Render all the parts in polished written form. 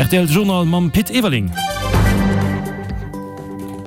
Rtl Journal mam Pit Everling.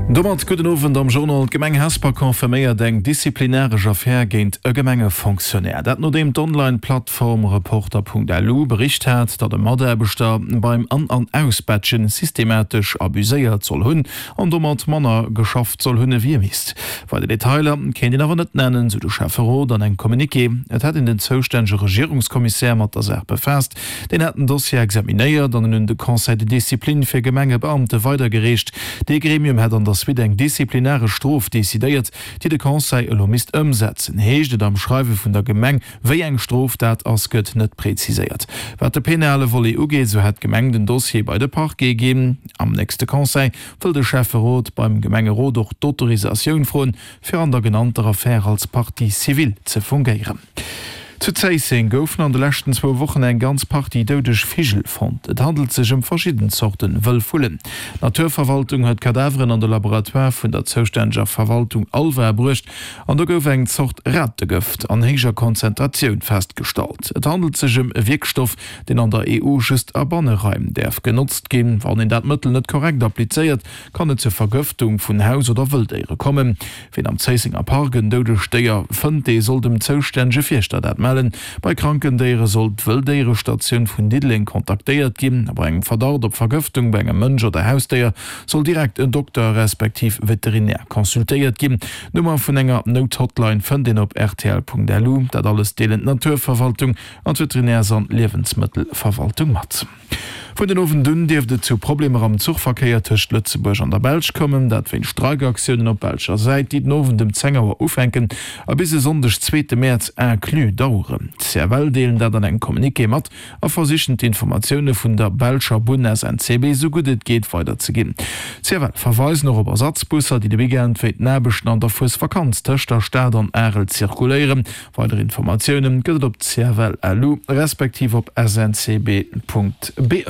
Domat gudden Owend am Journal. D'Gemeng Hesper confirméiert eng disziplinaresch Affär géint e Gemengefonctionnaire. Dat nodeem d'Online-Plattform Reporter.lu bericht hat, datt e Mataarbechter beim An an Ausbatchen systematesch abuséiert soll hunn an domat manner geschafft soll hunn ewéi e misst. Weider Detailer kéint een awer net nennen, sou de Schäfferot an engem Communiqué. Et hätt een den zoustännege Regierungskommissär mat der Saach befaasst. Deen hätt den Dossier examinéiert an en un de Conseil de discipline fir Gemengebeamte weidergereecht. Dee Gremium hätt an der Suite eng disziplinaresch Strof decidéiert, déi de Conseil elo misst ëmsetzen, heescht et am Schreiwe vun der Gemeng. Wéi eng Strof dat ass, gëtt net preziséiert. Wat de penale Volet ugeet, esou hätt d'Gemeng den Dossier bei de Parquet ginn. Am nächste Conseil wëll de Schäfferot beim Gemengerot och d'Autorisatioun froen, fir an der genannter Affär als Partie civile ze fungéieren. Zu Zéisseng goufen an de leschten zwou Wochen eng ganz Partie doudeg Vigel fonnt. Et handelt sech ëm verschidden Zorten wëll Vullen. D'Naturverwaltung huet d'Kadaveren an de Laboratoire vun der zoustänneger Verwaltung Alva bruecht an do gouf eng Zort Rategëft an héijer Konzentratioun festgestallt. Et handelt sech ëm e Wierkstoff, deen an der EU just a Banneraim däerf genotzt ginn. Wann een dat Mëttel net korrekt applizéiert, kann et zur Vergëftung vun Haus oder Wëlldéiere kommen. Wien am Zéissenger Park en doudegt Déier fënnt, dee soll dem zoustännege Fierschter dat mellen. Bei kranken Déiere soll d'Wëlldéierestatioun vun Diddeleng kontaktéiert ginn. A bei engem Verdacht op Vergëftung bei engem Mënsch oder Hausdéier soll direkt en Dokter respektiv Veterinär consultéiert ginn. D'Nummer vun enger Nouthotline fënnt een op rtl.lu. Dat alles deelen d'Naturverwaltung an d'Veterinärs an Liewensmëttelverwaltung mat. Vun den Owend un dierft et zu Problemer am Zuchverkéier tëscht Lëtzebuerg an der Belsch kommen. Dat wéinst Streikaktiounen op belscher Säit, déi den Owend ëm 10 Auer ufänken a bis e Sonndeg, zweete Mäerz inclus, daueren. D'CFL deelen dat an engem Communiqué mat a versichen d'Informatioune vun der belscher Bunn SNCB esou gutt et geet weiderzeginn. D'CFL verweisen och op Ersatzbusser, déi de Weekend wéint den Aarbechten an der Fuesvakanz tëscht der Stad an Arel zirkuléieren. Weider Informatioune gëtt et op cfl.lu respektiv op sncb.be.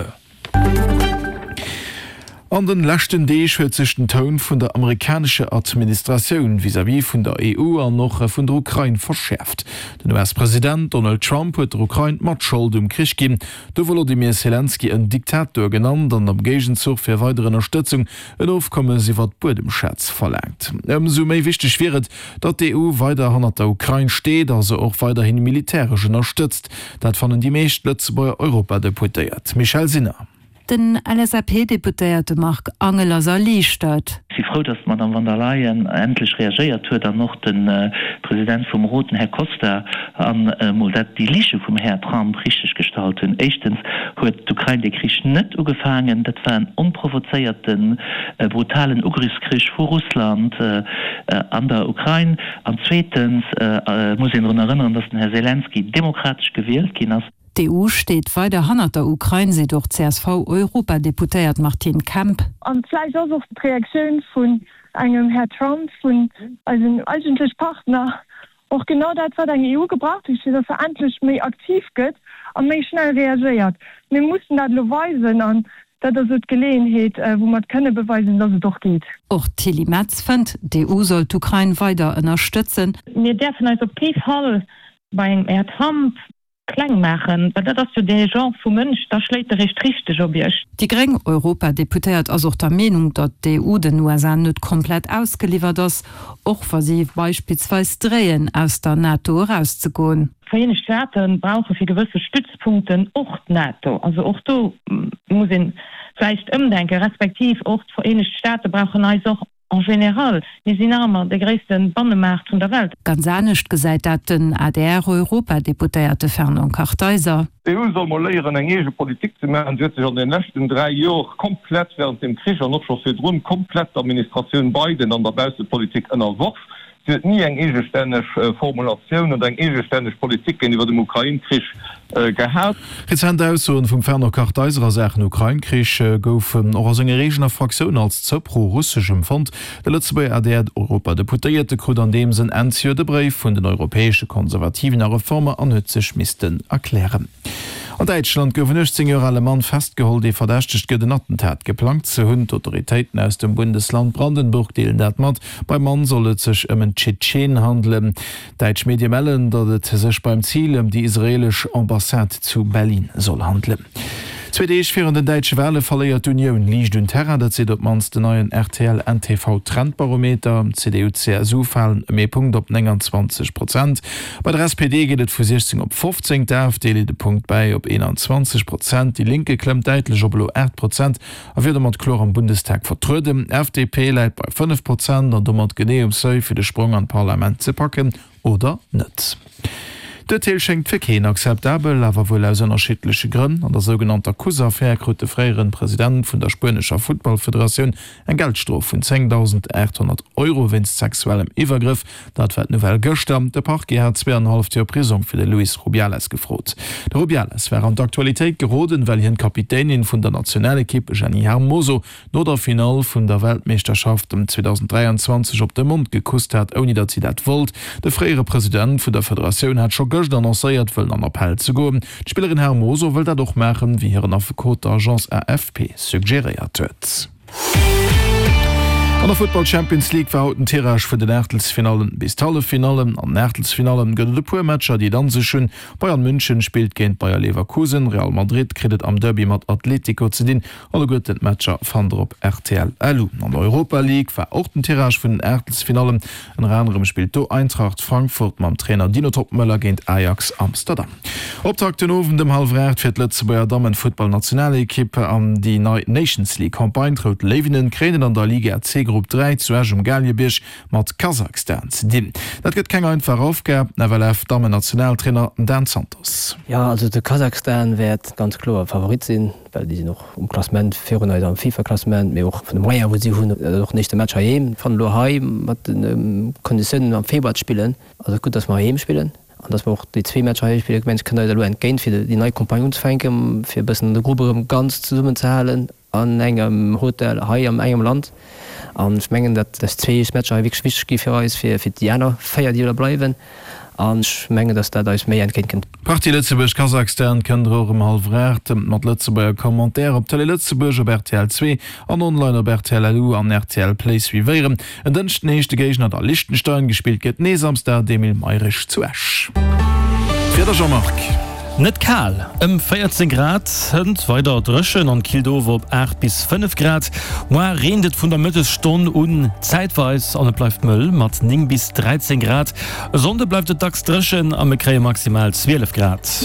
An den leschten Deeg huet sech den Toun vun der amerikanescher Administratioun vis-à-vis vun der EU an och vun der Ukrain verschäerft. Den US-President Donald Trump huet der Ukrain d'Matschold um Krich ginn, de Wolodymyr Selenskyj en Diktator genannt an am Géigenzuch fir weider Ënnerstëtzung en Ofkommes iwwer d'Buedemschätz verlaangt. Ëmsou méi wichteg wier et, Datt d'EU weider hannert der Ukrain steet a se och weiderhi militäresch ënnerstëtzt, dat fannen déi meescht Lëtzebuerger Europadeputéiert. Michèle Sinner. Den LSAP-Deputéierte Marc Angel ass erliichtert. Ech si frou, datt d'Madame von der Leyen endlech reagéiert huet an och de President vum Rot, den Här Costa, an emol dat déi Lige vum Här Trump richteg gestallt hunn. Éischtens huet d'Ukrain dee Krich net ugefaangen. Dat war en onprovozéierten, brutalen Ugriffskrich vu Russland an der Ukrain. An zweetens muss een drun erënneren, datt den Här Selenskyj demokratesch gewielt ginn ass. D'EU steet weider hannert der Ukrain, seet och d'CSV-Europadeputéiert Martine Kemp. A vläicht ass och d'Reaktioun vun engem Här Trump, vun eisen eigentlech Partner, och genau dat, wat eng EU gebraucht huet, fir datt se endlech méi aktiv gëtt a méi schnell reagéiert. Mir mussen dat elo weisen an dat ass elo d'Geleeënheet, wou mer et kënne beweisen, datt et och geet. Och d'Tilly Metz fënnt, d'EU soll d'Ukrain weider ënnerstëtzen. Mir däerfen eis op kee Fall bei engem Här Trump Kleng maachen, well dat ass jo dee Genre vu Mënsch, da schléit e réischt richteg op Iech. Déi gréng Europadeputéiert ass och der Meenung, datt d'EU den USA net komplett ausgeliwwert ass, och wa si beispillsweis dréien, aus der NATO erauszegoen. D'Vereenegt Staate brauche fir gewësse Stützpunkten och d'NATO. Also och do muss ee vläicht ëmdenken, respektiv och d'Vereenegt Staate brauchen eis och. En général, mir sinn nach ëmmer de gréisste Bannemaart vun der Welt. Ganz anescht gesäit dat den ADR-Europadeputéierte Fernand Kartheiser. D'EU soll mol léieren, eng eege Politik ze maachen. Si huet sech an den leschten 3 Jor komplett, während dem Krich an och scho virdrun, komplett der Administratioun Biden an der Baussepolitik ënnerworf. Si huet ni eng eegestänneg Formulatioun oder eng eegestänneg Politik géintiwwer dem Ukrain-Krich gehat. Rezent Aussoen vum Fernand Kartheiser a Saachen Ukrain-Krich goufen och a senger eegener Fraktioun als ze pro-russesch empfonnt. De Lëtzebuerger ADR-Europadeputéierte krut an deem Sënn Enn zejoert e Bréif vun den europäesche Konservativen a Reformer an huet sech missten erklären. An Däitschland gouf en 18 Joer ale Mann festgeholl, dee verdächtegt gëtt, en Attentat geplangt ze hunn. D'Autoritéiten aus dem Bundesland Brandenburg deelen dat mat. Beim Mann soll et sech ëm en Tschetschen handelen. Däitsch Medie mellen, datt et sech beim Zil ëm déi israeelesch Ambassade zu Berlin soll handelen. Zwee Deeg virun den däitsche Wale verléiert d'Unioun liicht un Terrain. Dat seet op d'mannst den neien RTL-NTV-Trendbarometer. D'CDU-CSU falen ëm ee Punkt op 29 Prozent. Bei der SPD geet et vu 16 op 15, d'AfD leet e Punkt bäi op 21 Prozent. Déi Linke klëmmt däitlech op elo 8 Prozent a wier domat kloer am Bundestag vertrueden. D'FDP läit bei 5 Prozent an domat genee um Seuil fir de Sprong an d'Parlament ze packen. Oder net? D'Urteel schéngt fir keen akzeptabel, awer wuel aus ënnerschiddleche Grënn. An der sougenannter Kuss-Affär krut de fréieren President vun der spuenescher Futtballfederatioun eng Geldstrof vun 10.800 Euro wéinst sexuellem Iwwergrëff. Dat war d'Nouvelle gëschter. De Parquet hat zweeanenhalleft Joer Prisong fir de Luis Rubiales gefrot. De Rubiales war an d'Aktualitéit geroden, well hien d'Kapitänin vun der Nationalekipp Jenny Hermoso no der Finall vun der Weltmeeschterschaft 2023 op de Mond gekusst hat, ouni datt si dat wollt. De fréiere President vun der Federatioun hat scho gëscht annoncéiert, wëllen an Appell ze goen. D'Spillerin Hermoso wëll dat och maachen, wéi hiren Affekot der Agence AFP suggeréiert huet. An der Futtball Champions League war haut den Tirage vun den Aachtelsfinallen bis d'Halleffinallen. An den Aachtelsfinallen gëtt et e puer Matcher, déi et an sech hunn. Bayern München spillt géint Bayer Leverkusen, Real Madrid kritt et am Derby mat Atletico ze dinn Alleguerten d'Matcher fannt der op rtl LU. An der Europa League war och den Tirage vun den Aachtelsfinallen. Ënner anerem spillt do Eintracht Frankfurt mam Trainer Dino Toppmöller géint Ajax Amsterdam. Optakt den Owend ëm hallwer 8 fir d'Lëtzebuerger Dammenfuttballnationalekipp an déi nei Nations League Campagne. D'Rout Léiwinnen kréien et an der Liga C Grupp 3 zu Esch um Galiebierg mat Kasachstan ze dinn. Dat gëtt keng einfach Aufgab, FLF-Dammennationaltrainer Dan Santos. Jo, also de Kasachstan wäert ganz kloer Favorit sinn. well déi sinn och um Klassement virun eis am FIFA-Klassement, mee och vun de Moyen wou si hunn, dat ass och den éischte Match heiheem. Fannen elo hei mat de Konditiounen am Februar ze spillen, ass et gutt, datt mer heiheem spillen an datt mer och déi zwee Matcher heiheem spillen. Ech mengen, et kënnt eis elo entgéint fir déi nei Campagne unzefänken, fir e bëssen de Grupp erëm ganz zesummen ze halen an engem Hotel hei an engem Land. An ech mengen, datt dës zwee Matcher hei wierklech wichteg gi fir eis, fir déi aner véier, déi elo bleiwen. An ech mengen, datt dat eis méi entgéint kënnt. D'Partie Lëtzebuerg-Kasakhstan kënnt der och ëm hallwer 8 mat Lëtzebuerger Commentaire op Télé Lëtzebuerg, op rtl 2 an online op rtl LU an rtl Play suivéieren. En Dënschden heescht de Géigner da Liechtenstein. Gespillt gëtt nees am Stade Emile Mayrisch zu Esch. D'Wieder, Jean-Marc. Net kal, ëm 14 Grad, hënt weider dréchen an killt of op 8 bis 5 Grad. Moar reent et vun der Mëttesstonn un zäitweis an et bleift mëll mat 9 bis 13 Grad. E Sonnde bleift et dacks dréchen a mir kréie maximal 12 Grad.